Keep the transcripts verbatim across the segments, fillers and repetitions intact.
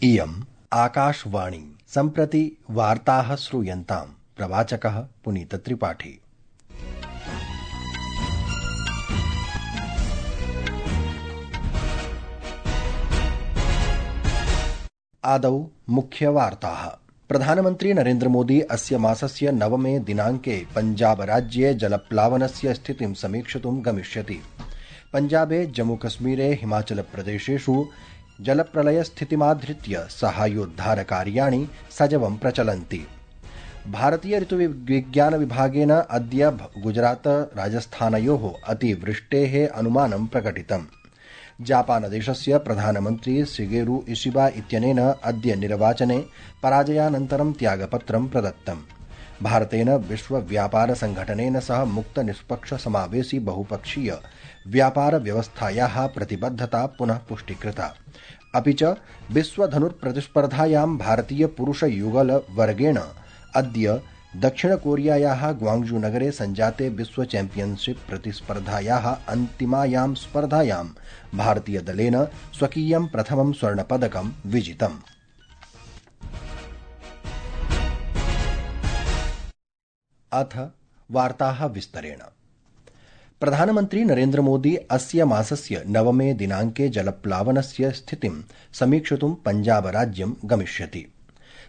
इयम् आकाशवाणी। सम्प्रति वार्ताः श्रूयन्ताम्। प्रवाचकः पुनीतत्रिपाठी। आदौ मुख्यवार्ताः। प्रधानमन्त्री नरेन्द्र मोदी अस्य मासस्य नवमे दिनाङ्के पञ्जाबराज्ये जलप्लावनस्य स्थितिं समीक्षितुं गमिष्यति। पञ्जाबे जम्मूकश्मीरे हिमाचलप्रदेशेषु जलप्रलयस्थितिमाधृत्य साहाय्योद्धारकार्याणि सजवं प्रचलन्ति। भारतीय ऋतुविज्ञानविभागेन अद्य गुजरात राजस्थानयोः अतिवृष्टेः अनुमानं प्रकटितम्। जापानदेशस्य प्रधानमन्त्री शिगेरु इशिबा इत्यनेन अद्य निर्वाचने पराजयानन्तरं त्यागपत्रं प्रदत्तम्। भारतेन विश्वव्यापारसंघटनेन सह मुक्तनिष्पक्षसमावेशी बहुपक्षीय व्यापारव्यवस्थायाः प्रतिबद्धता पुनः पुष्टीकृता। अपि च विश्वधनुर्प्रतिस्पर्धायां भारतीयपुरुषयुगलवर्गेण अद्य दक्षिणकोरियायाः ग्वाङ्ग्जू नगरे सञ्जाते विश्व चैम्पियनशिप प्रतिस्पर्धायाः अन्तिमायां स्पर्धायां भारतीयदलेन स्वकीयं प्रथमं स्वर्णपदकं विजितम्। अथ वार्ताः विस्तरेण। प्रधानमन्त्री नरेन्द्र मोदी अस्य मासस्य नवमे दिनाङ्के जलप्लावनस्य स्थितिं समीक्षितुं पञ्जाबराज्यं गमिष्यति।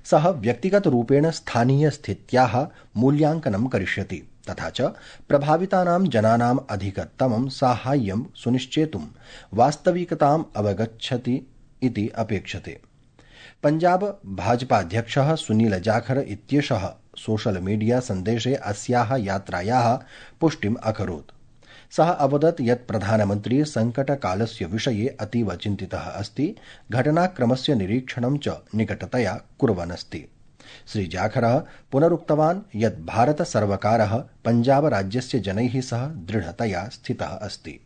सः व्यक्तिगतरूपेण स्थानीयस्थित्याः मूल्यांकनं करिष्यति तथा च प्रभावितानां जनानाम् अधिकतमं साहाय्यं सुनिश्चेतुं वास्तविकताम् अवगच्छति इति अपेक्षते। पञ्जाब भाजपाध्यक्षः सुनील जाखर इत्येषः सोशल मीडिया सन्देशे अस्याः यात्रायाः पुष्टिम् अकरोत्। सः अवदत् यत् प्रधानमन्त्री संकटकालस्य विषये अतीव चिन्तितः अस्ति, घटनाक्रमस्य निरीक्षणं च निकटतया कुर्वन् अस्ति। श्री जाखरः पुनरुक्तवान् यत् भारतसर्वकारः पञ्जाबराज्यस्य जनैः सह दृढतया स्थितः अस्ति।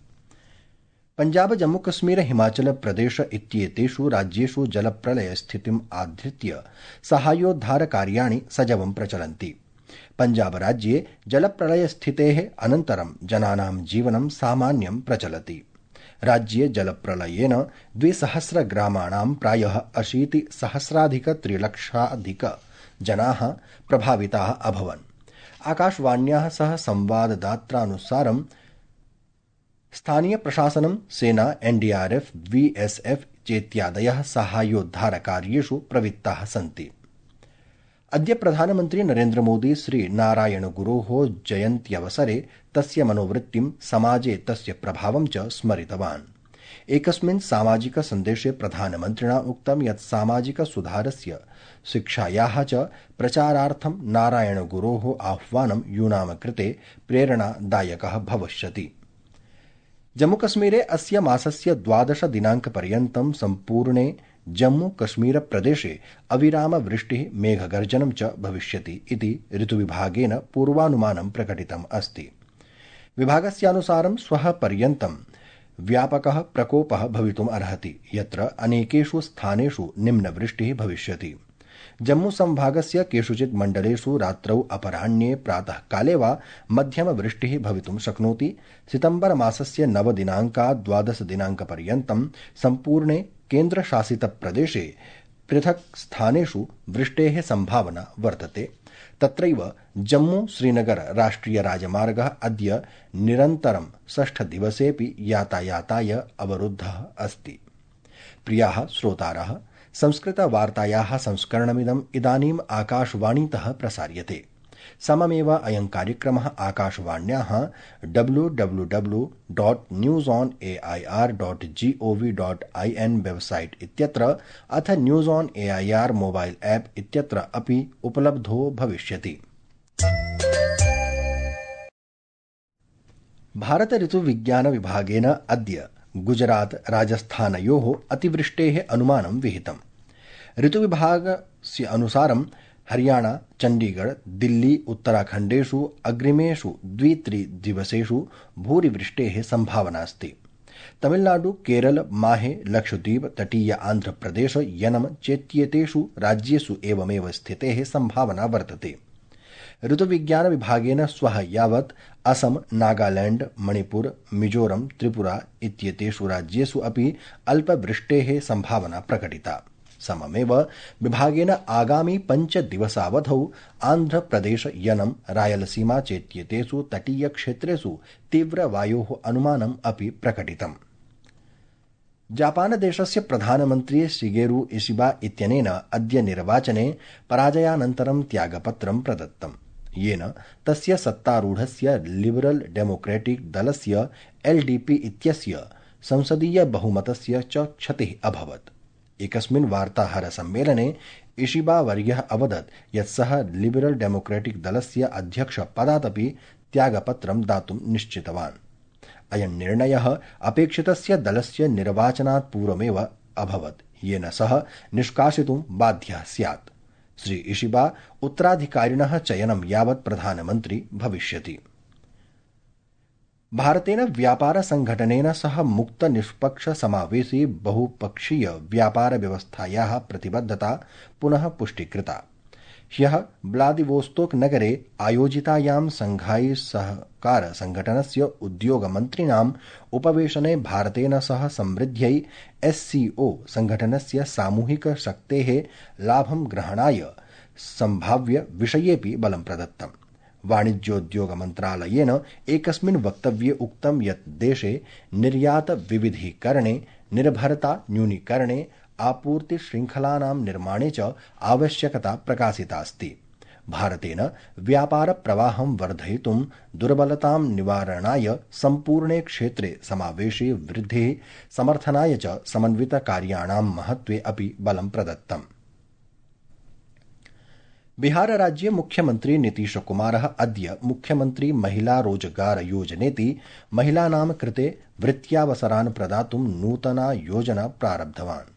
पञ्जाब जम्मूकश्मीर हिमाचल प्रदेश इत्येतेषु राज्येषु जलप्रलयस्थितिम् आधृत्य साहाय्योद्धारकार्याणि सजवं प्रचलन्ति। पञ्जाबराज्ये जलप्रलयस्थितेः अनन्तरं जनानां जीवनं सामान्यं प्रचलति। राज्ये जलप्रलयेन द्विसहस्रग्रामाणां प्रायः अशीतिसहस्राधिकत्रिलक्षाधिक जनाः प्रभाविताः अभवन्। आकाशवाण्याः सह संवाददात्रानुसारं स्थानीयप्रशासनं, सेना, एनडीआरएफ, वीएसएफ चेत्यादयः साहाय्योद्धारकार्येषु प्रवृत्ताः सन्ति। अद्य प्रधानमन्त्री नरेन्द्र मोदी श्री नारायणगुरोः जयन्त्यवसरे तस्य मनोवृत्तिं, समाजे तस्य प्रभावं च स्मरितवान्। एकस्मिन् सामाजिक सन्देशे प्रधानमन्त्रिणा उक्तं यत् सामाजिकसुधारस्य, शिक्षायाः च प्रचारार्थं नारायणगुरोः आह्वानं यूनां कृते प्रेरणादायकः भविष्यति। जम्मूकश्मीरे अस्य मासस्य द्वादश दिनाङ्कपर्यन्तं सम्पूर्णे जम्मूकश्मीरप्रदेशे अविरामवृष्टिः, मेघगर्जनं च भविष्यति इति ऋतुविभागेन पूर्वानुमानं प्रकटितम् अस्ति। विभागस्यानुसारं श्वः पर्यन्तं व्यापकः प्रकोपः भवितुम् अर्हति, यत्र अनेकेषु स्थानेषु निम्नवृष्टिः भविष्यति। जम्मूसंभागस्य केषुचित् मण्डलेषु रात्रौ, अपराह्ने, प्रातःकाले वा मध्यमवृष्टिः भवितुं शक्नोति। सितम्बरमासस्य नवदिनाङ्कात् द्वादशदिनाङ्कपर्यन्तं सम्पूर्णे केन्द्रशासितप्रदेशे पृथक् स्थानेषु वृष्टेः सम्भावना वर्तते। तत्रैव जम्मू श्रीनगर राष्ट्रियराजमार्गः अद्य निरन्तरं षष्ठदिवसेऽपि यातायाताय अवरुद्धः अस्ति। प्रियाः श्रोतारः, संस्कृतवार्तायाः संस्करणमिदम् इदानीम् आकाशवाणीतः प्रसार्यते। सममेव अयं कार्यक्रमः आकाशवाण्याः W W W dot news on A I R dot G O V dot I N website इत्यत्र अथ news on A I R mobile app इत्यत्र अपि उपलब्धो भविष्यति। भारत ऋतुविज्ञानविभागेन अद्य गुजरात राजस्थानयोः अतिवृष्टेः अनुमानं विहितम्। ऋतुविभागस्य अनुसारं हरियाणा, चण्डीगढ़, दिल्ली, उत्तराखण्डेषु अग्रिमेषु द्वित्रिदिवसेषु भूरिवृष्टेः सम्भावना अस्ति। तमिलनाडु, केरल, माहे, लक्षद्वीप, तटीय आन्ध्रप्रदेश, यनम चेत्येतेषु राज्येषु एवमेव स्थितेः सम्भावना वर्तते। ऋतुविज्ञानविभागेन श्वः यावत् असम, नागालैंड, मणिपुर, मिजोरम, त्रिपुरा इत्येतेषु राज्येषु अपि अल्पवृष्टेः सम्भावना प्रकटिता। सममेव विभागेन आगामि पञ्चदिवसावधौ आन्ध्रप्रदेश यनं रायलसीमा चेत्येतेषु तटीयक्षेत्रेषु तीव्रवायोः अनुमानम् अपि प्रकटितम्। जापानदेशस्य प्रधानमन्त्री शिगेरु इशिबा इत्यनेन अद्य निर्वाचने पराजयानन्तरं त्यागपत्रं प्रदत्तम्, येन तस्य सत्तारूढस्य लिबरल डेमोक्रेटिक दलस्य एलडीपी इत्यस्य संसदीय बहुमतस्य च क्षतिः अभवत्। एकस्मिन् वार्ताहर सम्मेलने इशिबा वर्यः अवदत् यत् सः लिबरल डेमोक्रेटिक दलस्य अध्यक्ष पदादपि त्यागपत्रं दातुं निश्चितवान्। अयं निर्णयः अपेक्षितस्य दलस्य निर्वाचनात् पूर्वमेव अभवत्, येन सः निष्कासितुं बाध्यः स्यात्। श्री इशिबा उत्तराधिकारिणः चयनं यावत् प्रधानमन्त्री भविष्यति। भारतेन व्यापार संघटनेन सह मुक्त निष्पक्ष समावेशी बहुपक्षीय व्यापार व्यवस्थायाः प्रतिबद्धता पुनः पुष्टीकृता। ह्यः व्लादिवोस्तोक नगरे आयोजितायां संघाई सहकार संघटनस्य उद्योगमन्त्रिणाम् उपवेशने भारतेन सह समृद्ध्यै एससीओ संघटनस्य सामूहिक शक्तेः लाभं ग्रहणाय सम्भाव्य विषयेऽपि बलं प्रदत्तम्। वाणिज्योद्योग मन्त्रालयेन एकस्मिन् वक्तव्ये उक्तं यत् देशे निर्यात विविधीकरणे, निर्भरता न्यूनीकरणे, आपूर्ति श्रृंखलानां निर्माणे च आवश्यकता प्रकाशितास्ति। भारतेन व्यापार प्रवाहं वर्धयितुं, दुर्बलतां निवारणाय, सम्पूर्णे क्षेत्रे समावेशी वृद्धिः समर्थनाय च समन्वित कार्याणां महत्त्वे अपि बलं प्रदत्तम्। बिहार राज्ये मुख्यमन्त्री नीतीश कुमारः अद्य मुख्यमन्त्री महिला रोजगार योजनेति महिलानां कृते वृत्त्यावसरान् प्रदातुं नूतना योजना प्रारब्धवान्।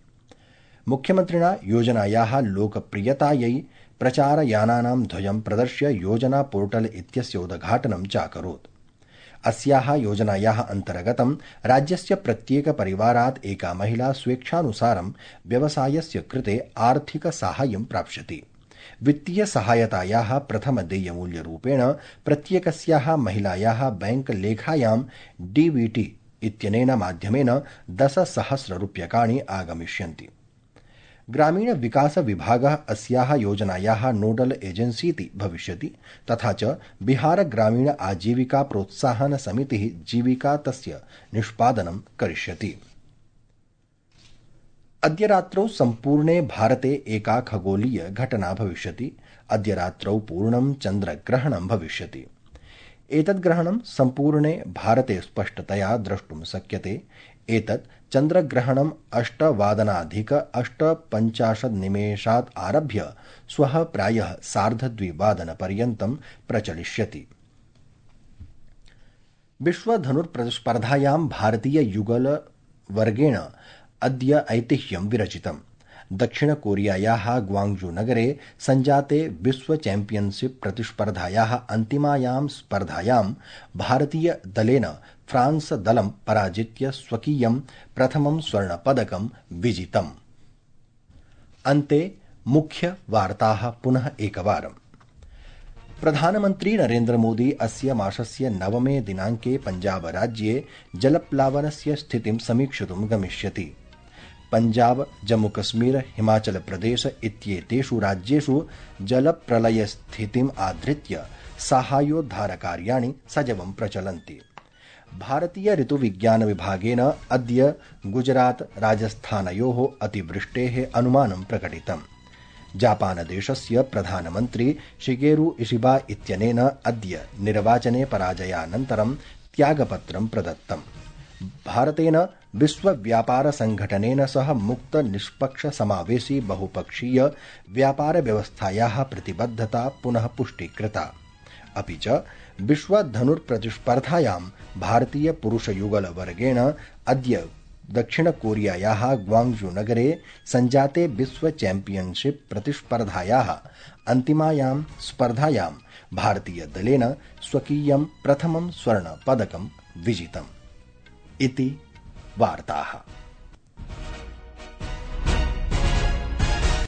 मुख्यमन्त्रिणा योजनायाः लोकप्रियतायै प्रचारयानानां ध्वजं प्रदर्श्य योजना पोर्टल इत्यस्य उद्घाटनं चाकरोत्। अस्याः योजनायाः अन्तर्गतं राज्यस्य प्रत्येक परिवारात् एका महिला स्वेच्छानुसारं व्यवसायस्य कृते आर्थिक साहाय्यं प्राप्स्यति। वित्तीय सहायतायाः प्रथम देयमूल्यरूपेण प्रत्येकस्याः महिलायाः बैंक लेखायां डीबीटी इत्यनेन माध्यमेन दशसहस्ररूप्यकाणि आगमिष्यन्ति। ग्रामीण विकास विभागः अस्याः योजनायाः नोडल एजेंसीति भविष्यति, तथा च बिहार ग्रामीण आजीविका प्रोत्साहन समितिः जीविका तस्य निष्पादनं करिष्यति। अद्य रात्रौ सम्पूर्णे भारते एका खगोलीय घटना भविष्यति। अद्य रात्रौ पूर्णं चन्द्रग्रहणं भविष्यति। एतद् ग्रहणं सम्पूर्णे भारते स्पष्टतया द्रष्टुं शक्यते। एतत् चन्द्रग्रहणम् अष्टवादनाधिक अष्टपञ्चाशत् निमेषात् आरभ्य श्वः प्रायः सार्धद्विवादनपर्यन्तं प्रचलिष्यति। विश्वधनुर्स्पर्धायां भारतीय युगल वर्गेण अद्य ऐतिह्यं विरचितम्। दक्षिण कोरियायाः ग्वाङ्ग्जू नगरे सञ्जाते विश्व चैम्पियनशिप प्रतिस्पर्धायाः अन्तिमायां स्पर्धायां भारतीय दलेन फ्रांस दलं पराजित्य स्वकीयं प्रथमं स्वर्णपदकं विजितम्। अन्ते मुख्य वार्ताः पुनः एकवारम्। प्रधानमन्त्री नरेन्द्र मोदी अस्य मासस्य नवमे दिनाङ्के पञ्जाब राज्ये जलप्लावनस्य स्थितिं समीक्षितुं गमिष्यति। पञ्जाब, जम्मूकश्मीर, हिमाचल प्रदेश इत्येतेषु राज्येषु जलप्रलयस्थितिम् आधृत्य साहाय्योद्धारकार्याणि सजवं प्रचलन्ति। भारतीय ऋतुविज्ञान विभागेन अद्य गुजरात राजस्थानयोः अतिवृष्टेः अनुमानं प्रकटितम्। जापानदेशस्य प्रधानमन्त्री शिगेरु इशिबा इत्यनेन अद्य निर्वाचने पराजयानन्तरं त्यागपत्रं प्रदत्तम्। भारतेन विश्व व्यापार संघटनेन सह मुक्त निष्पक्ष समावेशी बहुपक्षीय व्यापार व्यवस्थायाः प्रतिबद्धता पुनः पुष्टीकृता। अपि च विश्व धनुर्प्रतिस्पर्धायां भारतीय पुरुषयुगल वर्गेण अद्य दक्षिण कोरियायाः ग्वाङ्ग्जू नगरे सञ्जाते विश्व चैम्पियनशिप प्रतिस्पर्धायाः अन्तिमायां स्पर्धायां भारतीय दलेन स्वकीयं प्रथमं स्वर्ण पदकं विजितम्। इति वार्ताः।